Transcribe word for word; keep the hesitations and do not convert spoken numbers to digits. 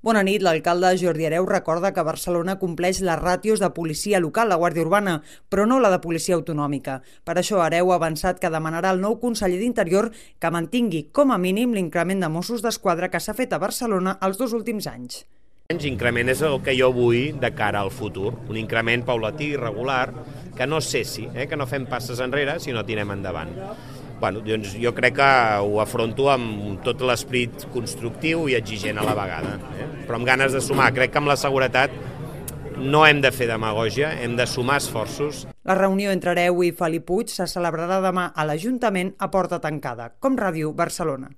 Bona nit. L'alcalde Jordi Hereu recorda que Barcelona compleix les ràtios de policia local, la Guàrdia Urbana, però no la de policia autonòmica. Per això Hereu ha avançat que demanarà al nou conseller d'Interior que mantingui com a mínim l'increment de Mossos d'Esquadra que s'ha fet a Barcelona els dos últims anys. L'increment és el que jo vull de cara al futur, un increment paulatí, regular, que no cessi, eh? que no fem passes enrere, sinó tirem endavant. Bueno, doncs jo crec que ho afronto amb tot l'esperit constructiu i exigent a la vegada, eh? però amb ganes de sumar. Crec que amb la seguretat no hem de fer demagògia, hem de sumar esforços. La reunió entre Hereu i Felip Puig se celebrarà demà a l'Ajuntament a porta tancada, com Ràdio Barcelona.